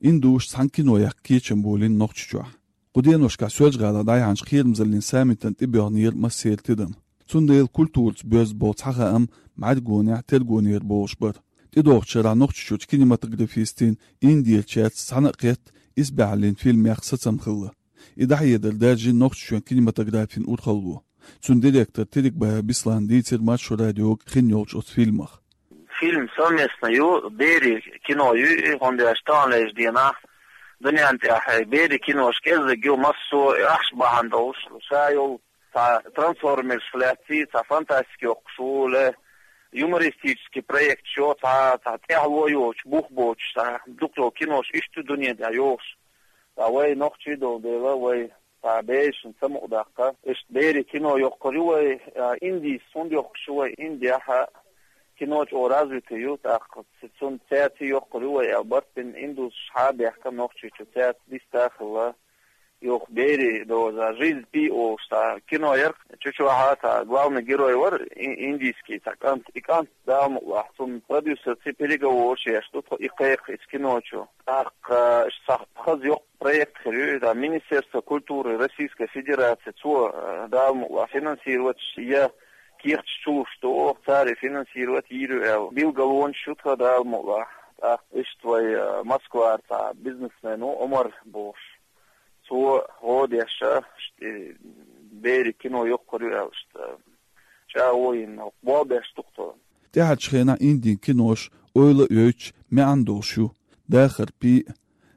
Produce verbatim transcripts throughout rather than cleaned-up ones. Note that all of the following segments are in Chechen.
Индусашца цхьана кино яккха кечам болийна Нохчийчохь. Кху деношкахь Соьлжа-ГӀалахь дӀаяьхьначу кхерамзаллин саммитана тӀебоьгӀнера массеран тидам. Цундела культураца боьзна болу цхьа хаам бӀаьргонехь тергонера болуш бара. ТӀедогӀучу шарахь Нохчийчуьрчу кинематографистийн Индерчаьрца цхьаьна а кхетта, исбаьхьаллин фильмех сацам хилла. И дӀахьедар даьржина Нохчийчоьнан кинематографин урхалло. Цуьнан директор Терекбаев Беслана дийцира Маршо радиога хин йолчу оцу фильмах. Фильм совместно ю, берийн кино ю, и хӀунда аьлча таханлерчу дийнахь дуьнен тӀехь берийн кинош кӀеззиг ю, массо а ахча бахьана долуш, ша йолу цхьа трансформерш лаьцна, цхьа фантастика йоккхуш ву, ле юмористический проект йо, цхьа, цхьа тӀаьхьало йоцуш, бух боцуш, цхьа дукха йолу кинош иштта ю дуьнен тӀехь йохуш. Ткъа вай нохчий долу дела, вай цхьа берашна самукъадаккха. Иштта берийн кино йоккхур ю вай, а, Индис хӀунда йоккхуш ю вай, Индехь кино чӀогӀа развитый ю, тӀаккха ц-, цунна цаьрца йоккхур ю вай аьлла барт бина, индусаш хьа а баьхкина Нохчийчу цаьрца диста а хилла. Юха берийн доза, «Жизнь Пи» олуш цхьа кино яра, чу чохь цхьа главный герой вара и-, индийский цхьа кӀант, и кӀант Дала мукъалахь, цунна продюсерца переговораш еш ду тхо и кхайкха иза кино чу. ТӀаккха иштта цхьа хаза йоккха проект хир ю, иза Министерство культуры Российской Федерации, цо, э, Дала мукъалахь, финансировать я кехаташ чу луш ду, оха цара финансировать йийр ю аьлла билгалонаш ю тхан Дала мукъалахь. ТӀаккха иштта вай, э, Москвара цхьа бизнесмен ву Омар бохуш. Цо гӀо деш, иштта, э, берийн кино йоккхур ю аьлла, иштта, чӀагӀо йина, болх беш ду тхо. ТӀаьхьарчу хенахь Индин кинош ойла а йойтуш, маьӀна долуш ю. «Дахар Пи»,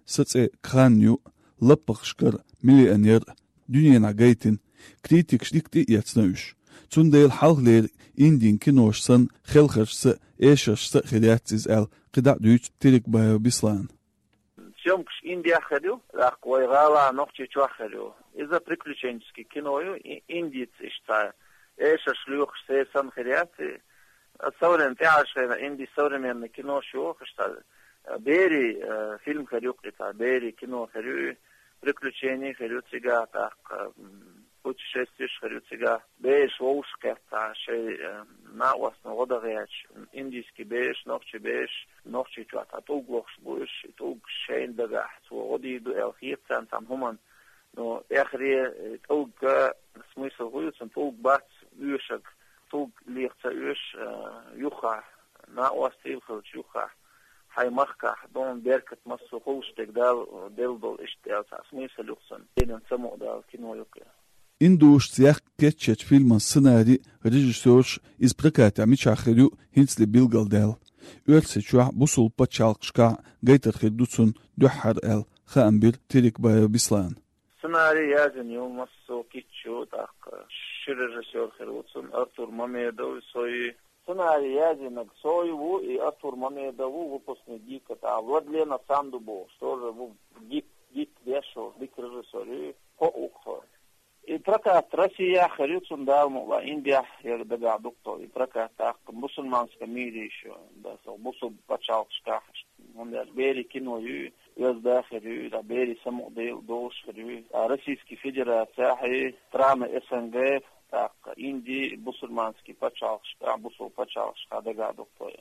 «Сан цӀе Кхан ю», «Лаппахашкара миллионер» дуьненахь гайтина, критикаша дика тӀе а эцна уьш. Цундела хьалхалера Индин кинош санна, хелхаршца а, эшаршца а хир яц иза аьлла, кхидӀа а дуьйцу Терекбаев Беслана. Съёмкаш Индехь хир ю, тӀаккха вай гӀала Нохчийчохь хир ю. Иза приключенческий кино ю, и-, индийца иштта цхьа эшарш лоьхуш, сер санна хир яц и. Современ-, тӀаьхьарчу хенахь Индин современный кинош йохуш цхьа, э, берийн, э, фильм хир ю-кх и цхьа, берийн кино хир ю, приключени хир ю цигахь, тӀаккха, м, путешествеш хир ю цигахь. Бераш вовшахкхетта шайн, э, накъостана гӀо дан гӀерташ, индийский бераш, нохчийн бераш, Нохчийчохь цхьа тӀулг лохуш бу уьш, и тӀулг шайна дагахь цо гӀо дийр ду аьлла хета царна цхьана хӀуманна. Ну, эххар, э, тӀулган смысл хӀун ю, цуьнан тӀулг бац оьшург, тӀулг леха ца оьшу, э, юххехь, накъостий хилча юххехь, хьайн махкахь, дон беркат массо а хуьлуш дерг Дала делла долу иштта аьлла цхьа смысл ю-кх цуьнан. Динан самукъадала кино ю-кх и. Индусашца яккха кечъечу фильман сценарий, режиссёрш, иза прокатехь мичахь хир ю, хӀинцале билгалдаьлла. Оьрсийчохь, бусулба пачхьалкхашкахь гайтар хир ду цунна дуьххьара аьлла, хаам бира Терекбаев Беслана. Сценарий язйина ю массо а кийча ю, тӀаккха ши режиссёр хир ву цуьнан, Артур Мамедов, со ю. Сценарий язйинарг со ю ву, и Артур Мамедов ву, выпускник ГИКа, тӀаккха Владлена Санду бохуш, тоже ву ГИК, ГИК деш волу, дика режиссёр ю, кхоъ ву-кх тхо. И прокат Россехь хир ю цуьнан, Дала мукъалахь, Индехь яра дагахь ду-кх тхо. И прокат тӀаккха мусульманском мире ещё, да, со бусулба пачхьалкхашкахь, хӀунда аьлча берийн кино ю, оьзда хир ю, да, берийн самукъадала долуш хир ю. А Российский Федерацехь и страны СНГ, тӀаккха Инди, бусульманский пачхьалкхашкахь, бусулба пачхьалкхашкахь дагахь ду-кх тхо.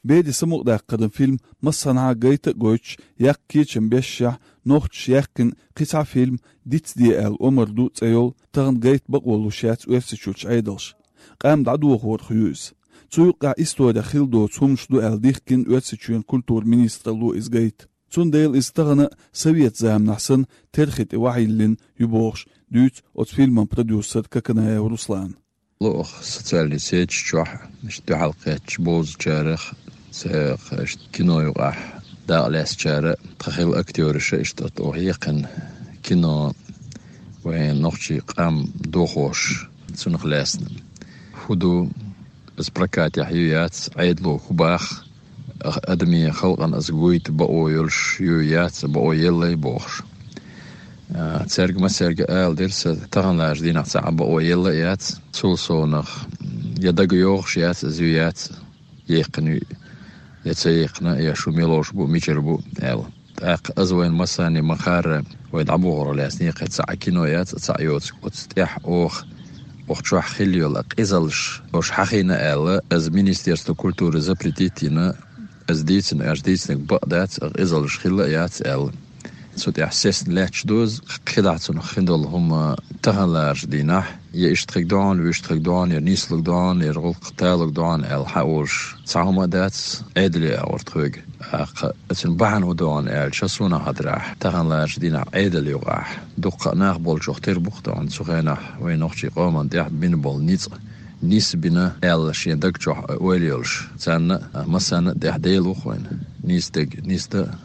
Берийн самукъадаккхаран фильм массанхьа гайта а гойтуш, яккха кечам бешшехь, нохчаша яьккхина кхин цхьа фильм, «Дицде аьлла омра ду» цӀе йолу, тахана гайта бакъо луш яц Оьрсийчуьрчу Ӏедалша. Къам дӀадохорах ю иза. Цу юккъехь исторехь хилла доцу хӀуманаш ду аьлла дихкина Оьрсийчоьнан культуран министралло иза гайта. Цундела иза тахана а, совет заманахь санна, терхи тӀе охьайиллина ю бохуш, дуьйцу оцу фильман продюсера Коканаев Руслана. Ло оха социальный сеташ чохь, иштта дуьхьал кхеттачу бовзачарах, цхьа иштта кино юкъахь дакъа лаьцначара, тхан хилла актёраша иштта оха яьккхина кино вайн нохчийн къам дохош, цунах лаьцна. ХӀун ду, иза прокатехь ю яц, Ӏедало хӀун боху, адамийн халкъана иза гойта бакъо йолуш ю яц, бакъо елла бохуш. А, цаьрга массаьрга ала дира сан, таханлерчу дийнахь цхьа а бакъо елла яц, цул совнах, я дага йогӀуш яц, иза ю яц, яьккхина ю, я ца яьккхина, я шу мила ловш бу, мичара бу аьлла. ТӀаккха иза вайна массарна ма-хаъара, вай дӀабохорах лаьцна кхин цхьа а кино яц, цхьа а йоцу. Оцу тӀехь оха, оха чохь хилла йолу къизаллаш, уьш хьахийна аьлла, иза Министерство культуры запретить йина, Аз дийцина, аьш дийцинарг бакъ дац, а къизаллаш хилла а яц аьлла. Цу тӀехь сесна лаьтташ доза, кхидӀа цунах хин долу хӀума таханлерчу дийнахь, я иштта хиг доӀана, вуьшта хиг доӀана, я нийслуг доӀана, я гӀуллакх талуг доӀана аьлла хьан олуш цхьа хӀума а дац, Ӏедале агӀор тхоьга. ТӀаккха оцун бахьана хӀун доӀана аьлча, суна хьадарахь, таханлерчу дийнахь Ӏедал юкъахь дуккха а нах болчух тера бу-кх доӀана, цу хенахь вайн нохчийн къоман тӀехь бина болу ницкъ, нисбина аьлла шен даг чохь ойла йолуш, царна а, массарна а тӀехь Дела ву-кх вайн. Нийса дерг нийса дан а,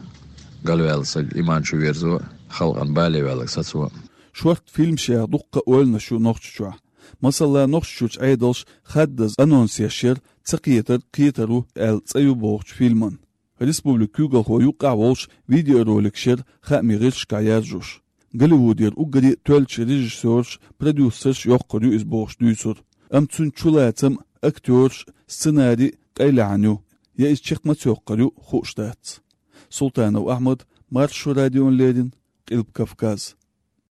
галваьлла саг иман чу верзо а, халкъана бале ваьлларг сацо а. Шортта фильмашех дуккха а ойланаш ю Нохчийчохь. Масала, Нохчийчуьра Ӏедалш хаддаза анонс еш яра «Ца кхетар кхетар ву» аьлла цӀе ю бохучу фильман. Республикан куьйгалхо юккъехь а волуш видеороликаш яра хаамийн гӀирсашкахь яржош. Голливудера уггаре а тоьллачу режиссёраш, продюсерш йоккхур ю иза бохуш дуьйцура. Амма цуьнан чулацам а, актёраш а, сценарий а къайлаьхьна ю, я иза чекх ма-цкъа йоккхур ю, хууш дац. Султанов Ахьмад, Маршо радиона леррина, Къилба Кавказ.